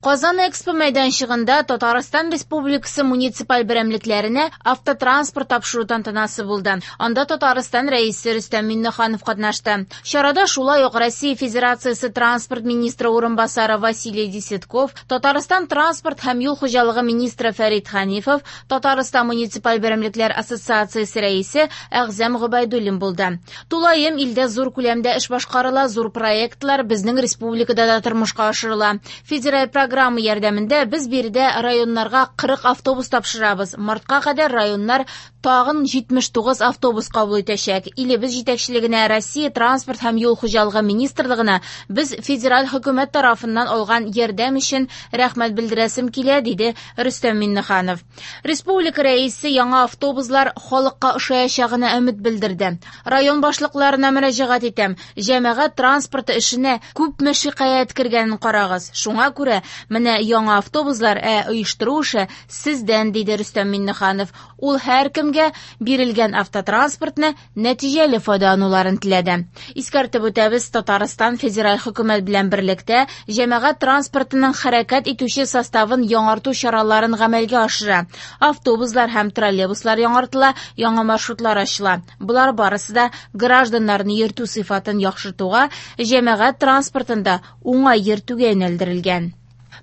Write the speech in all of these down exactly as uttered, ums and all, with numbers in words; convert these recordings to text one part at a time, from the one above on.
Казан Экспо мәйданчыгында Татарстан Республикасы муниципаль берәмлекләренә автотранспорт тапшыру тантанасы булды. Анда Татарстан Рәисе Рөстәм Миңнеханов катнашты. Чарада шулай ук Россия Федерациясе транспорт министры урынбасары Василий Десятков, Татарстан транспорт һәм юл хуҗалыгы министры Фәрит Ханифов, Татарстан муниципаль берәмлекләр ассоциациясе рәисе Әгъзам Гобәйдуллин булды. Тулаем илдә зур күләмдә эш башкарыла, зур проектлар безнең республикада да тормышка ашырыла. Федераль программа ярдәмендә без биредә районнарга кырык автобус тапшырабыз. Мартка кадәр районнар тагын җитмеш тугыз автобус кабул итәчәк. Илебез җитәкчелегенә, Россия транспорт һәм юл хуҗалыгы министрлыгына без федераль хөкүмәт тарафыннан алган ярдәм өчен рәхмәт белдерәсем килә, диде Рөстәм Миңнеханов. Республика рәисе яңа автобуслар халыкка ошаячагына өмет белдерде. Район башлыкларына мөрәҗәгать итәм. Җәмәгать транспорты эшенә күпме шикаять кергәнен карагыз. Шуңа күрә менә яңа автобуслар, ә оештыру эше сездән, диде Рөстәм Миңнеханов. Ул һәркемгә бирелгән автотранспортны нәтиҗәле файдалануларын теләде. Искәртеп үтәбез, Татарстан федераль хөкүмәт белән берлектә җәмәгать транспортының хәрәкәт итүче составын яңарту чараларын гамәлгә ашыра. Автобуслар һәм троллейбуслар яңартыла, яңа маршрутлар ачыла. Болар барысы да гражданнарны йөртү сыйфатын яхшыртуга, җәмәгать транспортында уңай йөртүгә юнәлдерелгән.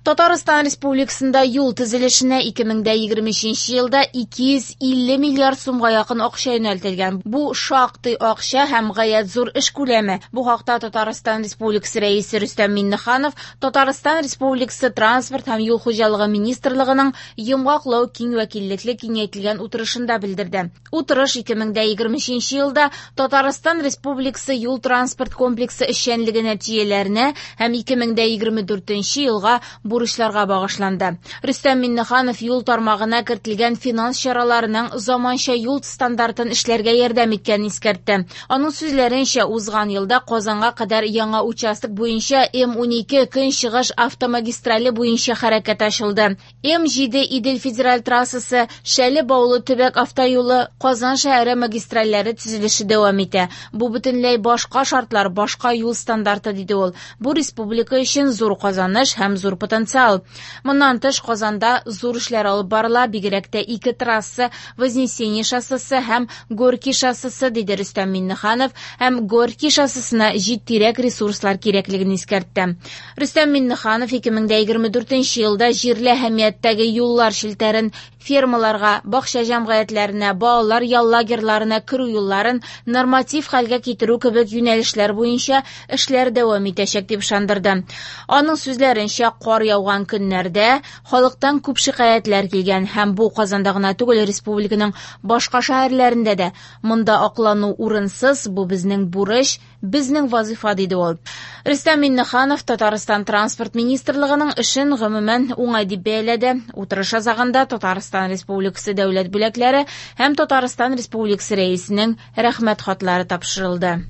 Татарстан Республикасында юл төзелешенә ике мең дә егерме өченче елда ике йөз илле миллиард сумга якын акча юнәлтелгән. Бу шактый акча һәм гаять зур эш күләме. Бу хакта Татарстан Республикасы Рәисе Рөстәм Миңнеханов Татарстан Республикасы Транспорт һәм юл хуҗалыгы министрлыгының йомгаклау киң вәкиллекле киңәйтелгән утырышында белдерде. Утырыш ике мең дә егерме өченче елда Татарстан Республикасы юл транспорт комплексы эшчәнлеге нәтиҗәләренә һәм ике мең дә егерме дүртенче елга бурычларга багышланды. Рөстәм Миңнеханов юл тармагына кертелгән финанс чараларының заманча юл стандартын эшләргә ярдәм иткәнен искәртте. Аның сүзләренчә, узган елда Казанга кадәр яңа участок буенча М унике Көнчыгыш автомагистрале буенча хәрәкәт ачылды. М җиде Идел федераль трассасы, Шәле Баулы төбәк автоюлы, Казан шәһәре магистральләре төзелеше дәвам итә. Бу бөтенләй башка шартлар, башка юл стандарты, диде ул. Бу республика өчен зур казаныш һәм зур потенциал. Моннан тыш Казанда зур эшләр алып барыла, бигрәк тә ике трасса, Вознесение шоссесы һәм Горький шоссесы, диде Рөстәм Миңнеханов, һәм Горький шоссесына җитдирәк ресурслар кирәклеген искәртте. Рөстәм Миңнеханов ике мең дә егерме дүртенче елда җирле әһәмияттәге юллар челтәрен фермаларга, бакча җәмгыятьләренә, балалар ял лагерьларына керү юлларын норматив хәлгә китерү кебек юнәлешләр буенча эшләр дәвам итәчәк дип ышандырды. Аның сүзләренчә, кар яуган көннәрдә халыктан күп шикаятьләр килгән һәм бу Казанда гына түгел, республиканың башка шәһәрләрендә дә. Монда аклану урынсыз, бу безнең бурыч, безнең вазифа, диде ул. Рөстәм Миңнеханов Татарстан Транспорт министрлыгының эшен гомумән уңай дип бәяләде. Утырыш азагында Татарстан Республикасы дәүләт бүләкләре һәм Татарстан Республикасы Рәисенең рәхмәт хатлары тапшырылды.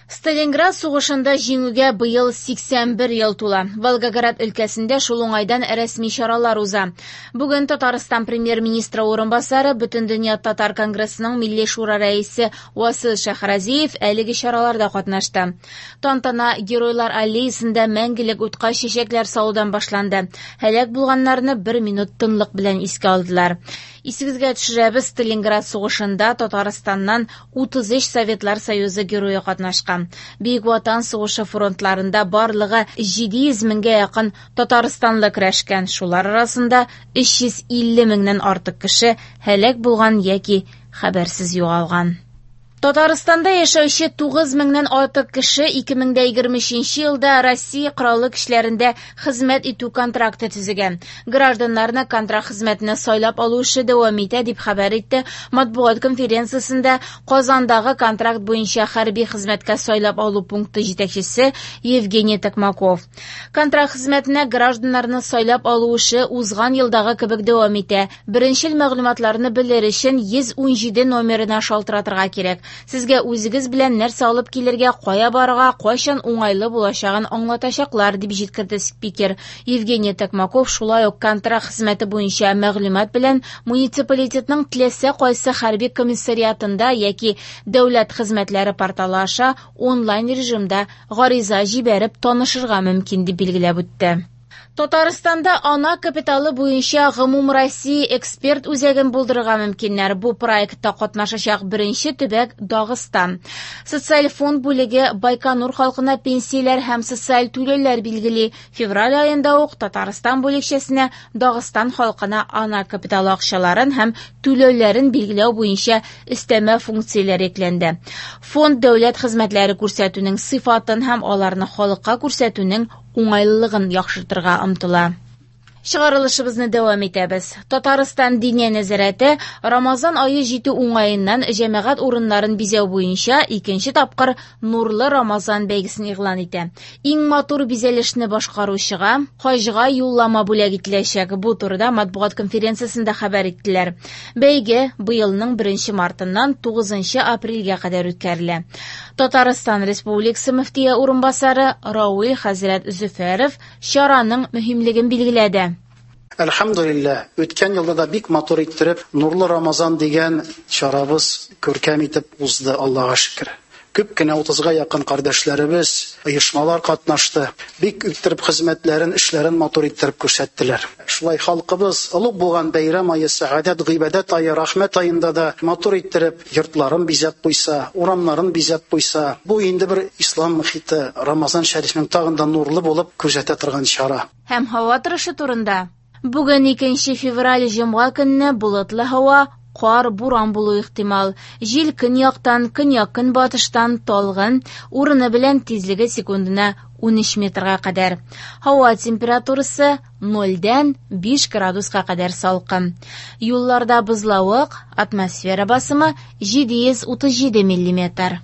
Сталинград сугышында җиңүгә быел сиксән бер ел тула. Волгоград өлкәсендә шул уңайдан рәсми чаралар уза. Бүген Татарстан премьер-министры урынбасары, Бөтендөнья татар конгрессының Милли шура рәисе Васил Шәйхразиев әлеге чараларда катнашты. Тантана Геройлар аллеясында мәңгелек утка чәчәкләр салудан башланды. Һәлак булганнарны бер минут тынлык белән искә алдылар. Исегезгә төшерәбез, Сталинград сугышында Татарстаннан утыз өч Советлар Союзы герое катнашкан. Бөек Ватан сугышы фронтларында барлыгы җиде йөз меңгә якын татарстанлы көрәшкән. Шулар арасында өч йөз илле меңнән артык кеше һәлак булган яки хәбәрсез югалган. Татарстанда яшәүче тугыз меңнән артык кеше ике мең дә егерме өченче елда Россия Кораллы Көчләрендә хезмәт итү контракты төзегән. Гражданнарны контракт хезмәтенә сайлап алу эше дәвам итә, дип хәбәр итте матбугат конференциясендә Казандагы контракт буенча хәрби хезмәткә сайлап алу пункты җитәкчесе Евгений Токмаков. Контракт хезмәтенә гражданнарны сайлап алу эше узган елдагы кебек дәвам итә. Беренчел мәгълүматларны белер өчен йөз ун җиде номерына шалтыратырга кирәк. Сезгә үзегез белән нәрсә алып килергә, кая барырга, кайчан уңайлы булачагын аңлатачаклар, дип җиткерде спикер. Евгений Токмаков шулай ук контракт хезмәте буенча мәгълүмат белән муниципалитетның теләсә кайсы хәрби комиссариатында яки дәүләт хезмәтләре порталы аша онлайн режимда гариза җибәреп танышырга мөмкин, дип билгеләп үтте. Татарстанда ана капиталы буенча Гомумроссия эксперт үзәген булдырырга мөмкиннәр. Бу проектта катнашачак беренче төбәк Дагыстан. Социаль фонд бүлеге Байконур халкына пенсияләр һәм социаль түләүләр билгели. Февраль аенда ук Татарстан бүлекчәсенә Дагыстан халкына ана капиталы акчаларын һәм түләүләрен билгеләү буенча өстәмә функцияләр йөкләнде. Фонд дәүләт хезмәтләре күрсәтүнең сыйфатын һәм аларны халыкка күрсәтүнең уңайлылыгын яхшыртырга омтыла. Чыгарылышыбызны дәвам итәбез. Татарстан Диния нәзарәте Рамазан ае җитү уңаеннан җәмәгать урыннарын бизәү буенча икенче тапкыр Нурлы Рамазан бәйгесен игълан итә. Иң матур бизәлешне башкаручыга хаҗга юллама бүләк ителәчәк. Бу турыда матбугат конференциясендә хәбәр иттеләр. Бәйге быелның беренче мартыннан тугызынчы апрельгә кадәр үткәрелә. Татарстан Республикасы мөфтие урынбасары Рауил хәзрәт Зөфәров чараның мөһимлеген билгеләде. Әлхәмдүлилләһ, үткән елда да бик матур иттереп Нурлы Рамазан дигән чарабыз күркәм итеп узды, Аллаһка шөкер. Күп кенә утызга якын кардәшләребез, оешмалар катнашты. Бик иттереп хезмәтләрен, эшләрен матур иттереп күрсәттеләр. Шулай халкыбыз олуг булган бәйрәм ае, сәгадәт, гыйбадәт ае, рәхмәт аенда да матур иттереп йортларын бизәп куйса, урамнарын бизәп куйса, бу инде бер ислам мөхите, Рамазан шәрифнең тагын да нурлы булып күрсәтә торган чара. Һәм һава торышы турында. Бүген икенче февраль җомга көнне болытлы һава, кар, буран булу ихтимал. Җил көньяктан, көньяк-көнбатыштан талгын, урыны белән тизлеге секундына унөч метрга кадәр. Һава температурасы нольдән биш градуска кадәр салкын. Юлларда бозлавык, атмосфера басымы җиде йөз утыз җиде миллиметр.